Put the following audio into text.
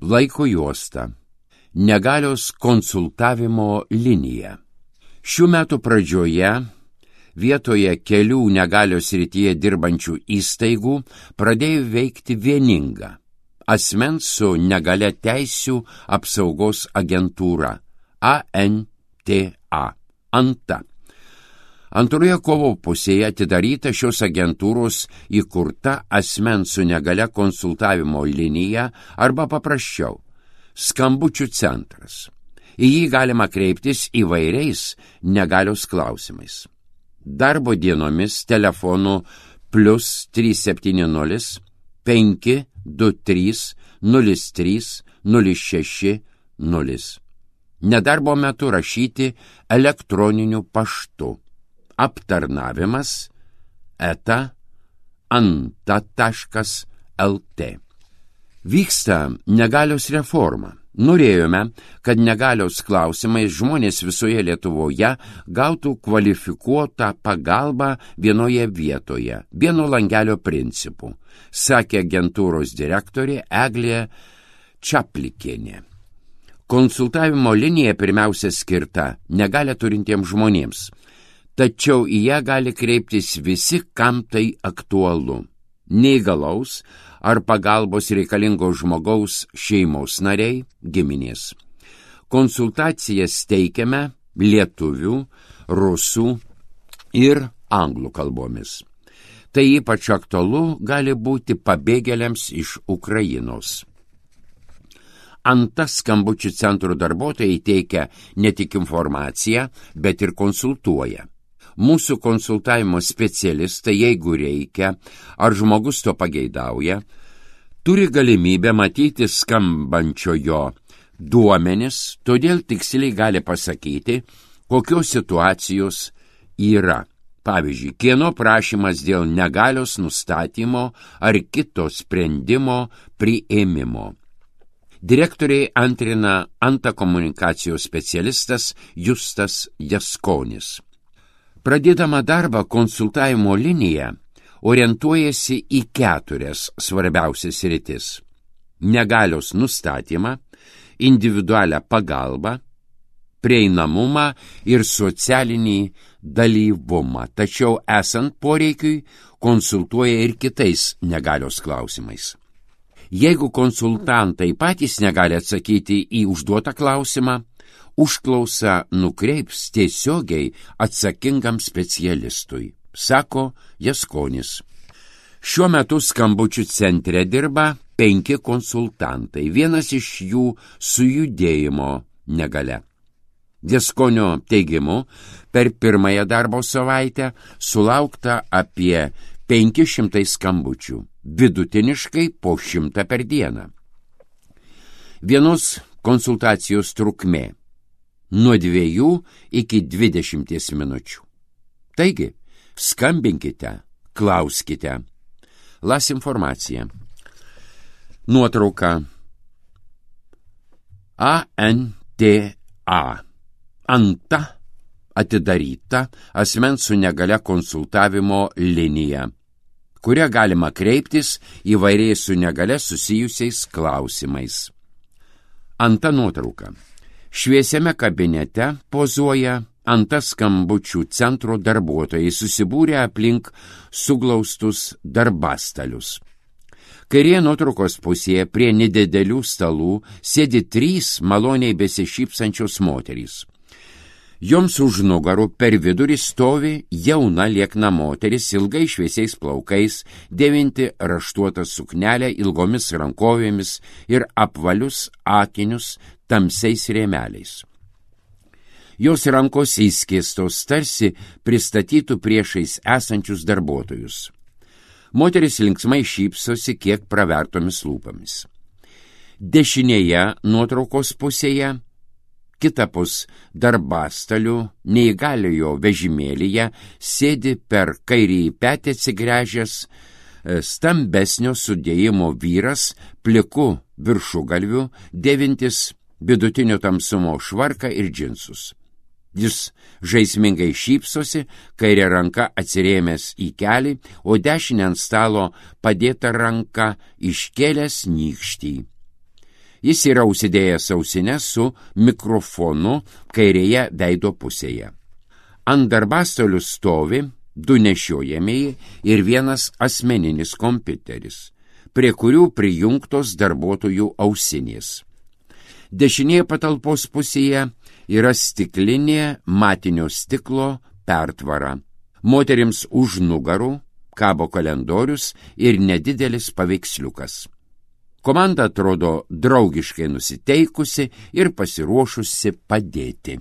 Laiko juosta. Negalios konsultavimo linija. Šių metų pradžioje vietoje kelių negalios srityje dirbančių įstaigų pradėjo veikti vieninga asmens su negalia teisių apsaugos agentūra ANTA. ANTA. Antroje kovo pusėje atidaryta šios agentūros įkurta asmens su negalia konsultavimo linija arba paprasčiau skambučių centras. Į jį galima kreiptis įvairiais negalios klausimais. Darbo dienomis telefonu +370 523 03 06 0. Nedarbo metu rašyti elektroniniu paštu. Aptarnavimas @anta.lt. Vyksta negalios reforma. Norėjome, kad negalios klausimais žmonės visoje Lietuvoje gautų kvalifikuotą pagalbą vienoje vietoje, vieno langelio principu, sakė agentūros direktorė Eglė Čaplikienė. Konsultavimo linija pirmiausia skirta negalią turintiems žmonėms, tačiau į ją gali kreiptis visi, kam tai aktualu. Neįgalaus ar pagalbos reikalingos žmogaus šeimos nariai, giminės. Konsultacijas teikiame lietuvių, rusų ir anglų kalbomis. Tai ypač aktualu gali būti pabėgėliams iš Ukrainos. ANTA skambučių centrų darbuotojai teikia ne tik informaciją, bet ir konsultuoja. Mūsų konsultavimo specialistai, jeigu reikia, ar žmogus to pageidauja, turi galimybę matyti skambančiojo duomenis, todėl tiksliai gali pasakyti, kokios situacijos yra. Pavyzdžiui, kieno prašymas dėl negalios nustatymo ar kito sprendimo priėmimo. Direktoriai antrina ANTA komunikacijos specialistas Justas Jaskonis. Pradėdama darbą konsultavimo linija orientuojasi į 4 svarbiausias sritis: negalios nustatymą, individualią pagalbą, prieinamumą ir socialinį dalyvumą, tačiau esant poreikiui konsultuoja ir kitais negalios klausimais. Jeigu konsultantai patys negali atsakyti į užduotą klausimą, užklausą nukreips tiesiogiai atsakingam specialistui, sako Jaskonis. Šiuo metu skambučių centre dirba 5 konsultantai, vienas iš jų su judėjimo negalia. Jaskonio teigimu, per pirmąją darbo savaitę sulaukta apie 500 skambučių, vidutiniškai po 100 per dieną. Vienos konsultacijos trukmė nuo 2 iki 20 minučių. Taigi, skambinkite, klauskite. Las informacija. Nuotrauka. ANTA. ANTA atidaryta asmens su negalia konsultavimo linija, kuria galima kreiptis įvairiai su negalia susijusiais klausimais. ANTA nuotrauka. Šviesiame kabinete pozuoja ANTA skambučių centro darbuotojai susibūrę aplink suglaustus darbastalius. Kairėje nuotraukos pusėje prie nedidelių stalų sėdi 3 maloniai besišypsančios moterys. Joms už nugarų per vidurį stovi jauna liekna moteris ilgai šviesiais plaukais, dėvinti raštuotą suknelę ilgomis rankovėmis ir apvalius akinius tamsiais rėmeliais. Jos rankos įskėstos, tarsi pristatytų priešais esančius darbuotojus. Moteris linksmai šypsosi kiek pravertomis lūpomis. Dešinėje nuotraukos pusėje, kitapus darbastalių, neįgaliojo vežimėlyje sėdi per kairįjį petį atsigręžęs stambesnio sudėjimo vyras, pliku viršugalviu, dėvintis vidutinio tamsumo švarką ir džinsus. Jis žaismingai šypsosi, kairė ranka atsirėmęs į kelį, o dešinė ant stalo padėta ranka iškėlęs nykštį. Jis yra užsidėjęs ausines su mikrofonu kairėje veido pusėje. Ant darbastolių stovi 2 nešiojamieji ir 1 asmeninis kompiuteris, prie kurių prijungtos darbuotojų ausinės. Dešinėje patalpos pusėje yra stiklinė matinio stiklo pertvara. Moterims už nugarų kabo kalendorius ir nedidelis paveiksliukas. Komanda atrodo draugiškai nusiteikusi ir pasiruošusi padėti.